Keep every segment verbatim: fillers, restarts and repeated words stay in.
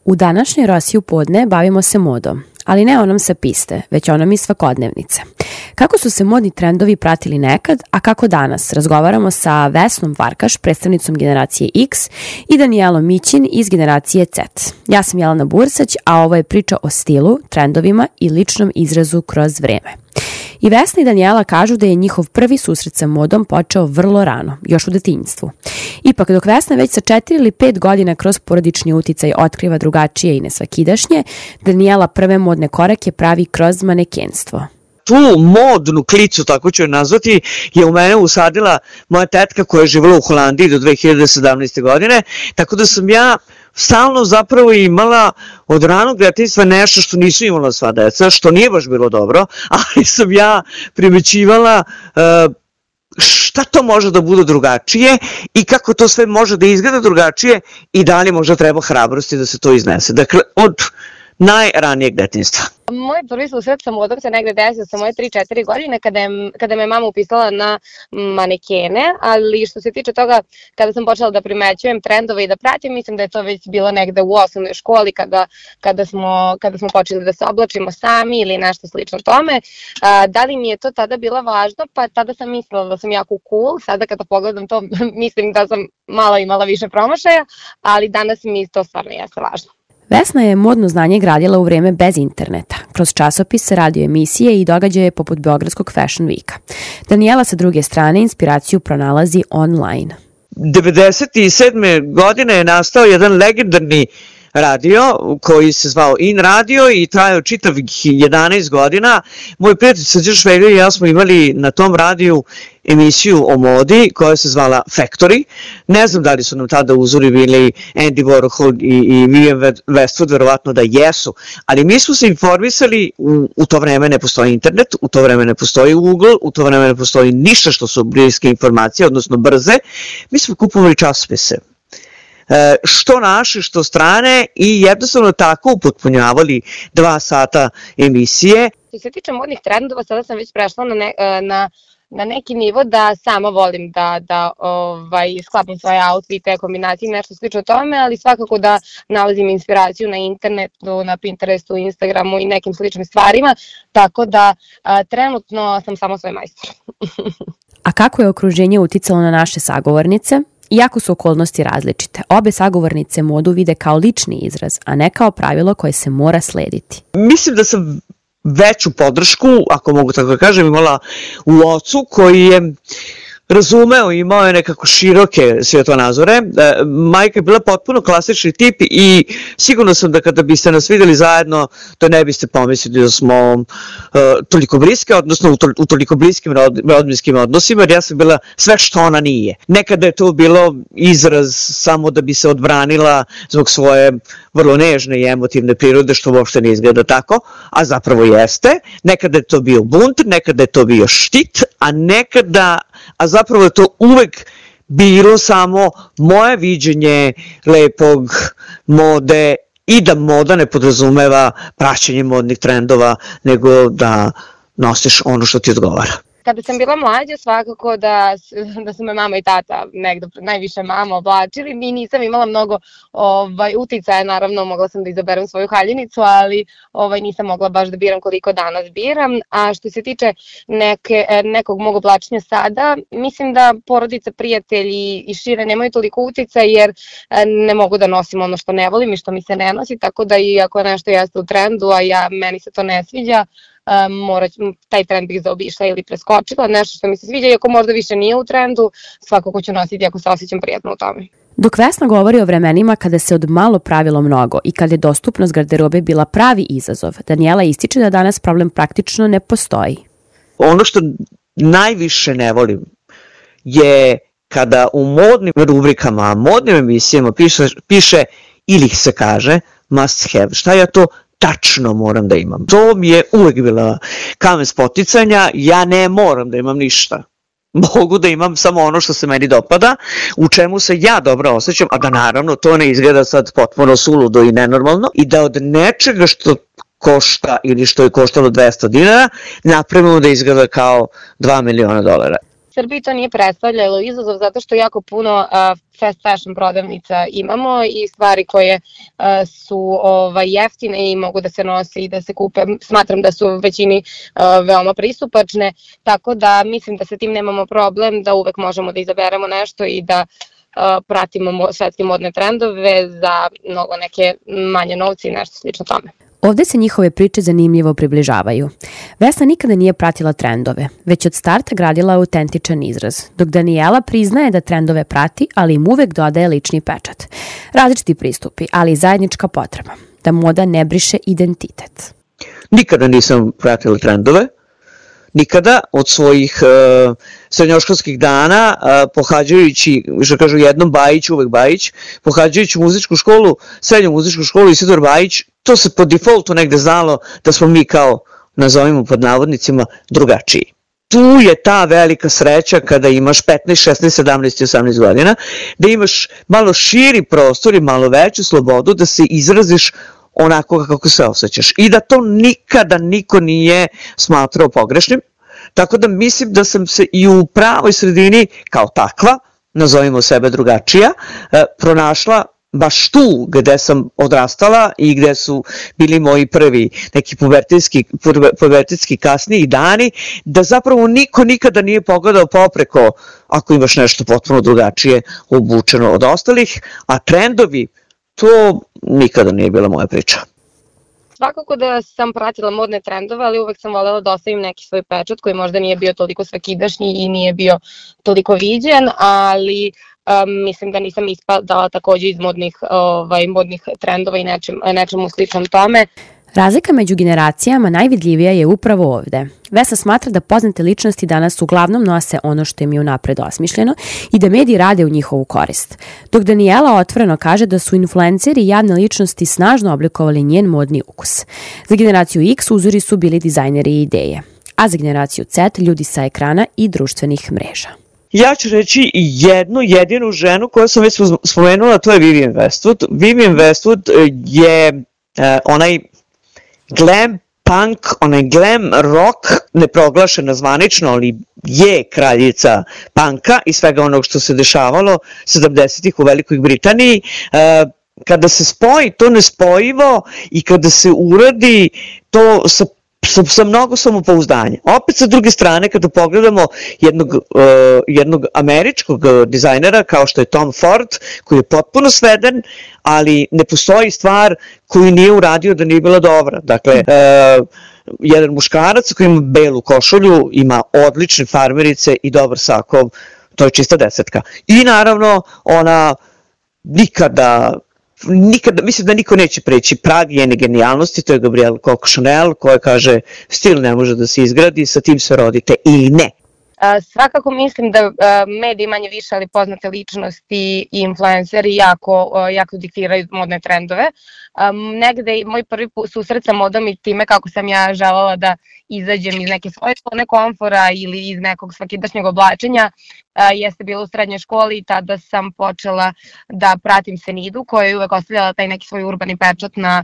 U današnjoj Rosiji u podne bavimo se modom, ali ne onom sa piste, već onom iz svakodnevnice. Kako su se modni trendovi pratili nekad, a kako danas? Razgovaramo sa Vesnom Varkaš, predstavnicom generacije X, i Danijelom Mićin iz generacije Z. Ja sam Jelena Bursać, a ovo je priča o stilu, trendovima i ličnom izrazu kroz vreme. I Vesna i Danijela kažu da je njihov prvi susret sa modom počeo vrlo rano, još u detinjstvu. Ipak, dok Vesna već sa četiri ili pet godina kroz porodični uticaj otkriva drugačije i nesvakidašnje, Danijela prve modne korake pravi kroz manekenstvo. Tu modnu klicu, tako ću je nazvati, je u mene usadila moja tetka koja je živjela u Holandiji do dve hiljade sedamnaeste. godine, tako da sam ja stalno zapravo imala od ranog detinjstva nešto što nisu imala sva deca, što nije baš bilo dobro, ali sam ja primećivala uh, šta to može da bude drugačije i kako to sve može da izgleda drugačije i da li možda treba hrabrosti da se to iznese. Dakle, od najranijeg detinjstva. Moj prvi susret sa modom se negde desio sa moje tri četiri godine kada, je, kada me mama upisala na manekene, ali što se tiče toga kada sam počela da primećujem trendove i da pratim, mislim da je to već bilo negde u osnovnoj školi kada, kada, smo, kada smo počeli da se oblačimo sami ili nešto slično tome. A, da li mi je to tada bilo važno? Pa tada sam mislila da sam jako cool, sada kada pogledam to mislim da sam malo imala više promašaja, ali danas mi to stvarno jeste važno. Vesna je modno znanje gradila u vreme bez interneta, kroz časopise, radio emisije i događaje poput Beogradskog Fashion Weeka. Danijela sa druge strane inspiraciju pronalazi online. devedeset sedme. godine je nastao jedan legendarni radio koji se zvao In Radio i trajao čitavih jedanaest godina. Moj prijatelj Srđan Šveglja i ja smo imali na tom radiju emisiju o modi koja se zvala Factory. Ne znam da li su nam tada uzori bili Andy Warhol i, i Vivienne Westwood, verovatno da jesu, ali mi smo se informisali, u, u to vreme ne postoji internet, u to vreme ne postoji Google, u to vreme ne postoji ništa što su bliske informacije, odnosno brze. Mi smo kupovali časopise. E, što naše, što strane i jednostavno tako upotpunjavali dva sata emisije. Što se tiče modnih trendova, sada sam već prešla na, ne, na, na neki nivo da sama volim da, da ovaj, sklapam svoje outfite, kombinacije, nešto slično tome, ali svakako da nalazim inspiraciju na internetu, na Pinterestu, Instagramu i nekim sličnim stvarima, tako da a, trenutno sam samo svoj majstor. A kako je okruženje uticalo na naše sagovornice? Iako su okolnosti različite, obe sagovornice modu vide kao lični izraz, a ne kao pravilo koje se mora slediti. Mislim da sam veću podršku, ako mogu tako da kažem, imala u ocu koji je razumeo i imao je nekako široke svjetonazore. Majka je bila potpuno klasični tip i sigurno sam da kada biste nas videli zajedno, to ne biste pomislili da smo uh, toliko bliske, odnosno u, to, u toliko bliskim rod, rodbinskim odnosima, jer ja sam bila sve što ona nije. Nekada je to bilo izraz samo da bi se odbranila zbog svoje vrlo nežne i emotivne prirode, što uopšte ne izgleda tako, a zapravo jeste. Nekada je to bio bunt, nekada je to bio štit, a nekada, a zapravo je to uvek bilo samo moje viđenje lepog, mode i da moda ne podrazumeva praćenje modnih trendova, nego da nosiš ono što ti odgovara. Kada sam bila mlađa, svakako da, da su me mama i tata negdje, najviše mama oblačili. Mi nisam imala mnogo ovaj, uticaja, naravno mogla sam da izaberem svoju haljinicu, ali ovaj, nisam mogla baš da biram koliko danas biram. A što se tiče neke, nekog mog oblačenja sada, mislim da porodica, prijatelji i šire nemaju toliko uticaja jer ne mogu da nosim ono što ne volim i što mi se ne nosi, tako da i ako nešto jeste u trendu, a ja, meni se to ne sviđa, Um, mora, taj trend bih zaobišla ili preskočila, nešto što mi se sviđa, iako možda više nije u trendu, svakako ću nositi ako se osjećam prijatno u tome. Dok Vesna govori o vremenima kada se od malo pravilo mnogo i kada je dostupnost garderobe bila pravi izazov, Danijela ističe da danas problem praktično ne postoji. Ono što najviše ne volim je kada u modnim rubrikama, modnim emisijama piše, piše ili se kaže must have. Šta ja to tačno moram da imam? To mi je uvek bila kamen spoticanja, ja ne moram da imam ništa. Mogu da imam samo ono što se meni dopada, u čemu se ja dobro osjećam, a da naravno to ne izgleda sad potpuno suludo i nenormalno i da od nečega što košta ili što je koštalo dvesta dinara napravimo da izgleda kao dva miliona dolara. Srbiji to nije predstavljalo izazov zato što jako puno uh, fast fashion prodavnica imamo i stvari koje uh, su ovaj, jeftine i mogu da se nose i da se kupe. Smatram da su većini uh, veoma pristupačne, tako da mislim da sa tim nemamo problem, da uvek možemo da izaberemo nešto i da uh, pratimo svetske modne trendove za mnogo neke manje novce i nešto slično tome. Ovde se njihove priče zanimljivo približavaju. Vesna nikada nije pratila trendove, već od starta gradila autentičan izraz, dok Danijela priznaje da trendove prati, ali im uvek dodaje lični pečat. Različiti pristupi, ali i zajednička potreba, da moda ne briše identitet. Nikada nisam pratila trendove, nikada od svojih uh, srednjoškolskih dana, uh, pohađajući, što kažu jednom Bajić, uvek Bajić, pohađajući muzičku školu, srednju muzičku školu Isidor Bajić, to se po defaultu negde znalo da smo mi kao, nazovimo pod navodnicima, drugačiji. Tu je ta velika sreća kada imaš petnaest, šesnaest, sedamnaest i osamnaest godina, da imaš malo širi prostor i malo veću slobodu da se izraziš onako kako se osjećaš i da to nikada niko nije smatrao pogrešnim, tako da mislim da sam se i u pravoj sredini kao takva, nazovimo sebe drugačija, pronašla baš tu gde sam odrastala i gde su bili moji prvi neki pubertetski, pubertetski kasniji dani, da zapravo niko nikada nije pogledao popreko ako imaš nešto potpuno drugačije obučeno od ostalih, a trendovi, to nikada nije bila moja priča. Svakako da sam pratila modne trendove, ali uvek sam voljela da ostavim neki svoj pečat koji možda nije bio toliko svakidašnji i nije bio toliko viđen, ali um, mislim da nisam ispadala takođe iz modnih, ovaj, modnih trendova i nečem, nečemu sličnom tome. Razlika među generacijama najvidljivija je upravo ovde. Vesna smatra da poznate ličnosti danas uglavnom nose ono što im je unapred osmišljeno i da mediji rade u njihovu korist. Dok Danijela otvoreno kaže da su influenceri i javne ličnosti snažno oblikovali njen modni ukus. Za generaciju X uzori su bili dizajneri i ideje, a za generaciju Z ljudi sa ekrana i društvenih mreža. Ja ću reći jednu jedinu ženu koju sam već spomenula, to je Vivienne Westwood. Vivienne Westwood je uh, onaj glam punk, onaj glam rock, neproglašena zvanično, ali je kraljica punka i svega onog što se dešavalo sedamdesetih u Velikoj Britaniji. Kada se spoji to nespojivo i kada se uradi to sa Sa, sa mnogo samopouzdanja. Opet sa druge strane, kada pogledamo jednog, uh, jednog američkog dizajnera kao što je Tom Ford, koji je potpuno sveden, ali ne postoji stvar koju nije uradio da nije bila dobra. Dakle, uh, jedan muškarac koji ima belu košulju, ima odlične farmerice i dobar sakov, to je čista desetka. I naravno, ona nikada... Nikada, mislim da niko neće preći prag njene genijalnosti, to je Gabrielle Coco Chanel koja kaže stil ne može da se izgradi, sa tim se rodite ili ne. Svakako mislim da mediji manje više, ali poznate ličnosti i influenceri jako, jako diktiraju modne trendove. Negde moj prvi susret sa modom i time kako sam ja želela da izađem iz neke svoje zone komfora ili iz nekog svakidašnjeg oblačenja jeste bilo u srednjoj školi i tada sam počela da pratim Senidu koja je uvek ostavljala taj neki svoj urbani pečat na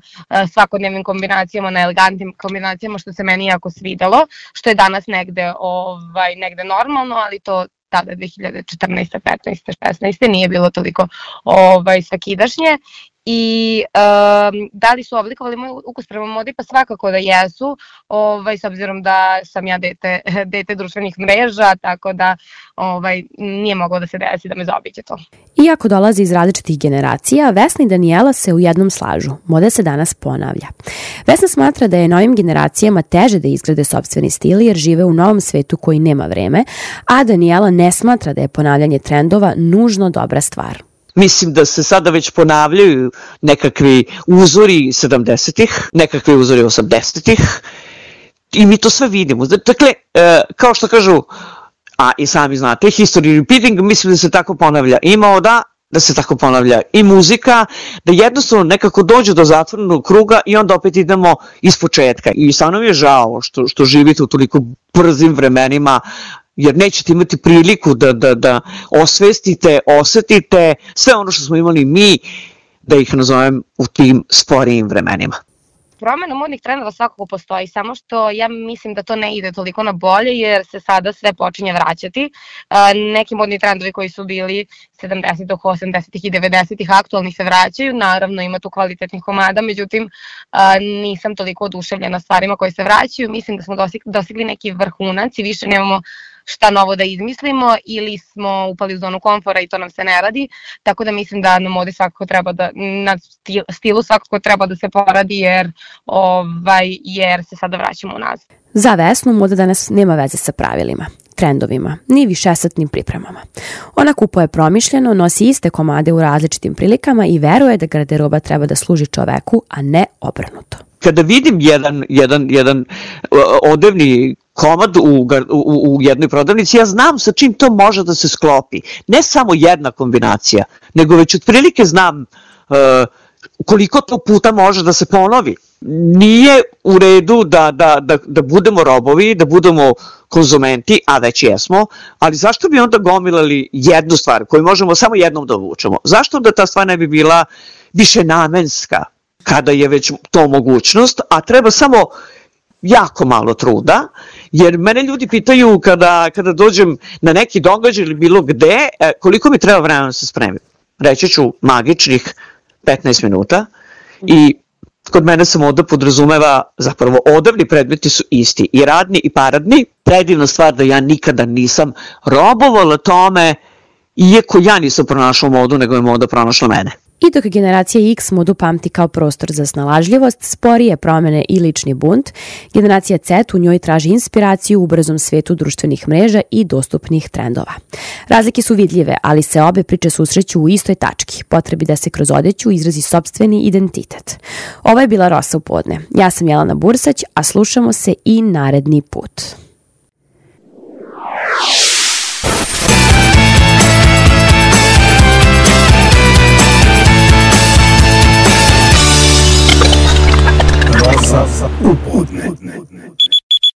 svakodnevnim kombinacijama, na elegantnim kombinacijama što se meni jako svidelo, što je danas negde, ovaj, negde normalno, ali to tada dve hiljade četrnaeste, petnaeste, šesnaeste nije bilo toliko ovaj, svakidašnje. I um, da li su oblikovali moj ukus prema modi? Pa svakako da jesu, ovaj, s obzirom da sam ja dete, dete društvenih mreža, tako da ovaj, nije moglo da se desi da me zaobiđe to. Iako dolazi iz različitih generacija, Vesna i Danijela se u jednom slažu. Moda se danas ponavlja. Vesna smatra da je novim generacijama teže da izgrade sopstveni stil jer žive u novom svetu koji nema vreme, a Danijela ne smatra da je ponavljanje trendova nužno dobra stvar. Mislim da se sada već ponavljaju nekakvi uzori sedamdesetih, nekakvi uzori osamdesetih i mi to sve vidimo. Dakle, kao što kažu, a i sami znate, history repeating, mislim da se tako ponavlja i moda, da se tako ponavlja i muzika, da jednostavno nekako dođu do zatvorenog kruga i onda opet idemo iz početka. I stvarno mi je žao što, što živite u toliko brzim vremenima, jer nećete imati priliku da, da, da osvestite, osetite sve ono što smo imali mi, da ih nazovem u tim sporijim vremenima. promena modnih trendova svakako postoji, samo što ja mislim da to ne ide toliko na bolje jer se sada sve počinje vraćati. Neki modni trendovi koji su bili sedamdesetih, osamdesetih i devedesetih aktualni se vraćaju, naravno ima tu kvalitetnih komada, međutim nisam toliko oduševljena stvarima koje se vraćaju, mislim da smo dostigli neki vrhunac i više nemamo šta novo da izmislimo ili smo upali u zonu komfora i to nam se ne radi, tako da mislim da na modi svakako treba da, na stilu svakako treba da se poradi jer, ovaj, jer se sada vraćamo unazad. Za Vesnu moda danas nema veze sa pravilima, trendovima, ni višesatnim pripremama. Ona kupuje promišljeno, nosi iste komade u različitim prilikama i veruje da garderoba treba da služi čoveku, a ne obrnuto. Kada vidim jedan, jedan, jedan odevni komad u, u, u jednoj prodavnici, ja znam sa čim to može da se sklopi. Ne samo jedna kombinacija, nego već otprilike znam uh, koliko to puta može da se ponovi. Nije u redu da, da, da, da budemo robovi, da budemo konzumenti, a već jesmo, ali zašto bi onda gomilali jednu stvar koju možemo samo jednom da obučemo? Zašto da ta stvar ne bi bila višenamenska kada je već to mogućnost, a treba samo jako malo truda, jer mene ljudi pitaju kada, kada dođem na neki događaj ili bilo gde, koliko mi treba vremena da se spremim. Reći ću magičnih petnaest minuta i kod mene se moda podrazumeva, zapravo odevni predmeti su isti, i radni i paradni. Predivna stvar da ja nikada nisam robovala tome, iako ja nisam pronašla modu, nego je moda pronašla mene. I dok generacija X modu pamti kao prostor za snalažljivost, sporije promene i lični bunt, generacija Z u njoj traži inspiraciju u brzom svetu društvenih mreža i dostupnih trendova. Razlike su vidljive, ali se obe priče susreću u istoj tački, potrebi da se kroz odeću izrazi sopstveni identitet. Ovo je bila Rosa u podne. Ja sam Jelena Bursać, a slušamo se i naredni put.